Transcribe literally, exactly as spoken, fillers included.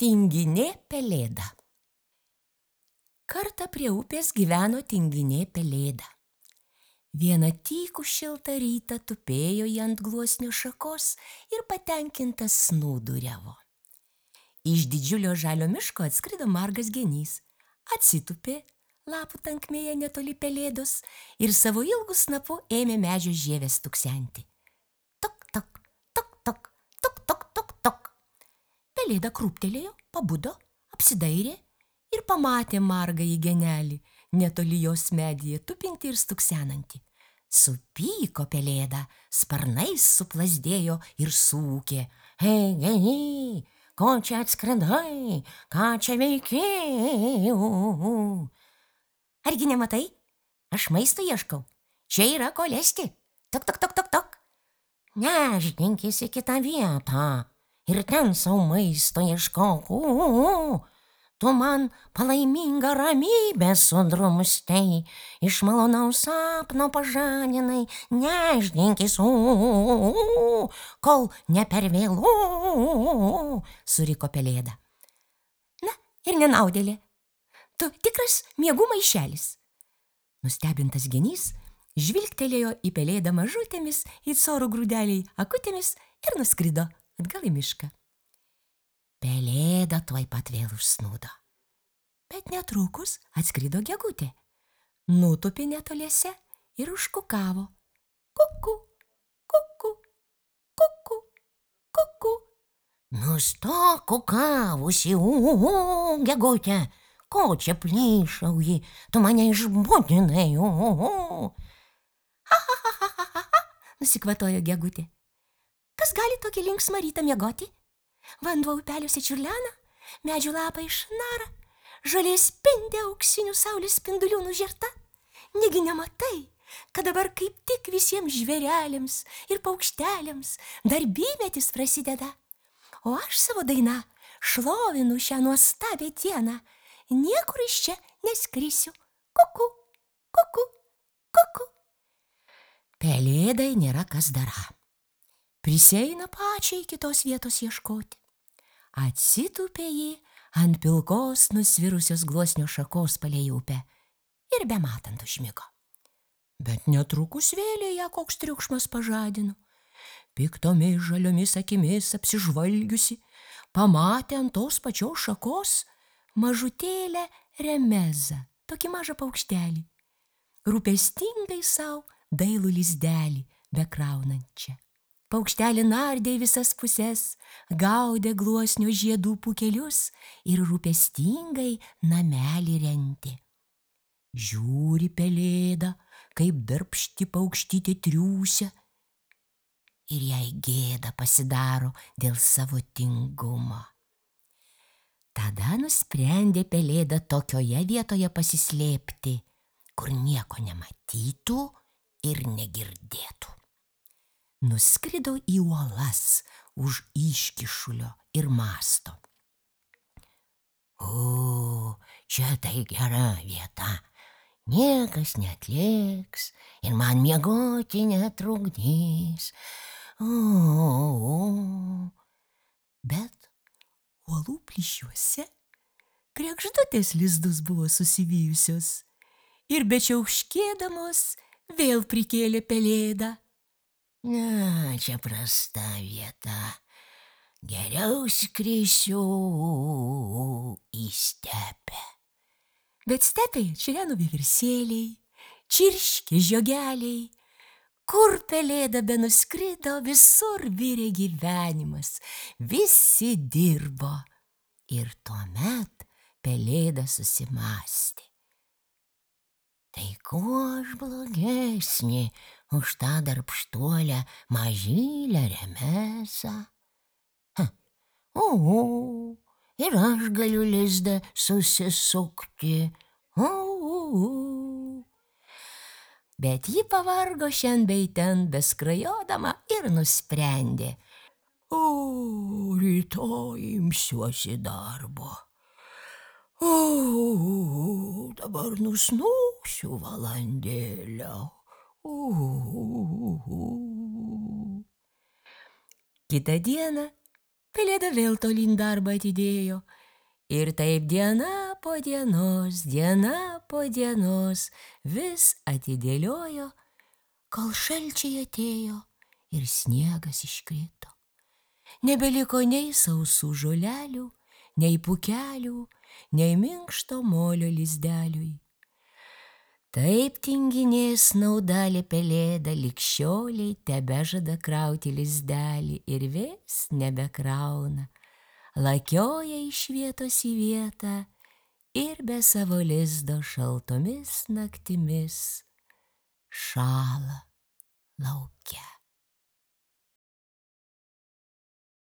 Tinginė pelėda. Kartą prie upės gyveno tinginė pelėda. Vieną tykų šiltą rytą tupėjo ji ant gluosnio šakos ir patenkintas snūduriavo. Iš didžiulio žalio miško atskrido margas genys, atsitupė lapų tankmėje netoli pelėdos ir savo ilgu snapu ėmė medžio žievės tuksenti. Tok, tok, tok, tok, tok, tok, tok, tok. Pelėda krūptelėjo, pabudo, apsidairė ir pamatė margąjį genelį, netoli jos medyje tupinti ir stuksenantį. Supyko pelėda, sparnais suplazdėjo ir sūkė. Ei, geny, ko čia atskridai, ką čia veiki? Argi nematai? Aš maisto ieškau. Čia yra ko lesti. Tok, tok, tok, tok, tok. Nešdinkis į kitą vietą ir ten savo maisto ieškok. Tu man palaimingą ramybę sudrumstei, iš malonaus sapno pažadinai, nešdinkis, kol ne per vėlu, suriko pelėda. Na ir nenaudėlė, tu tikras miegų maišelis. Nustebintas genys žvilgtelėjo į pelėdą mažutėmis, į coro grūdeliai akutėmis ir nuskrido atgal į mišką. Pelėda tuoj pat vėl užsnūdo. Bet netrukus atskrido gegutė. Nutūpė netoliese ir užkukavo. Kuku, kuku, kuku, kuku. Nustok kukavusi, u, gegutė, ko čia plyšauji, tu mane išbudinai, u. Ha, ha, ha, ha, ha, ha, nusikvatojo gegutė. Kas gali tokį linksmą rytą miegoti? Vanduo upeliuose čiurlena, medžių lapai išnara, žolė spindi auksinių saulės spindulių nužerta. Negi nematai, kad dabar kaip tik visiems žvėreliams ir paukšteliams darbymetis prasideda. O aš savo daina šlovinu šią nuostabią dieną. Niekur iš čia neskrisiu. Kuku, kuku, kuku. Pelėdai nėra kas dara. Prisieina pačiai kitos vietos ieškoti. Atsitūpė ji ant pilkos nusvirusios gluosnio šakos palei upę ir bematant užmigo. Bet netrukus vėlė ją koks triukšmas pažadino. Piktomis žaliomis akimis apsižvalgiusi, pamatė ant tos pačios šakos mažutėlę remezą, tokį mažą paukštelį, rūpestingai sau dailų lizdelį bekraunančią. Paukštelį nardė į visas puses, gaudė gluosnio žiedų pūkelius ir rūpestingai namelį rentė. Žiūri pelėda, kaip darbšti paukštytė triūsia, ir jai gėda pasidaro dėl savo tingumo. Tada nusprendė pelėda tokioje vietoje pasislėpti, kur nieko nematytų ir negirdėtų. Nuskrido į uolas už iškyšulio ir mąsto. O, čia tai gera vieta, niekas neatliks ir man miegoti netrukdys. O, o. Bet uolų plyšiuose kregždutės lizdus buvo susivijusios ir bečiauškėdamos vėl prikėlė pelėdą. Na, čia prasta vieta. Geriau skrisiu į stepę. Bet stepėje čireno vieversėliai, čirškė žiogeliai. Kur pelėda benuskrido, visur virė gyvenimas. Visi dirbo. Ir tuomet pelėda susimąstė. Tai kuo aš blogesnė už tą darbštuolę mažylę remezą? O, ir aš galiu lizdą susisukti. O, bet ji pavargo šiandien bei ten beskrajodama ir nusprendė. O, rytoj imsiuosi darbo. O, dabar nusnūsiu valandėlę. O. Kitą dieną Pelėda vėl tolyn darbą atidėjo. Ir taip diena po dienos, diena po dienos vis atidėliojo, kol šalčiai atėjo ir sniegas iškrito. Nebeliko nei sausų žolelių, nei pūkelių, nei minkšto molio lizdeliui. Taip tinginė snaudalė pelėda lig šiolei tebežada krauti lizdelį ir vis nebekrauna. Lakioja iš vietos į vietą ir be savo lizdo šaltomis naktimis šąla lauke.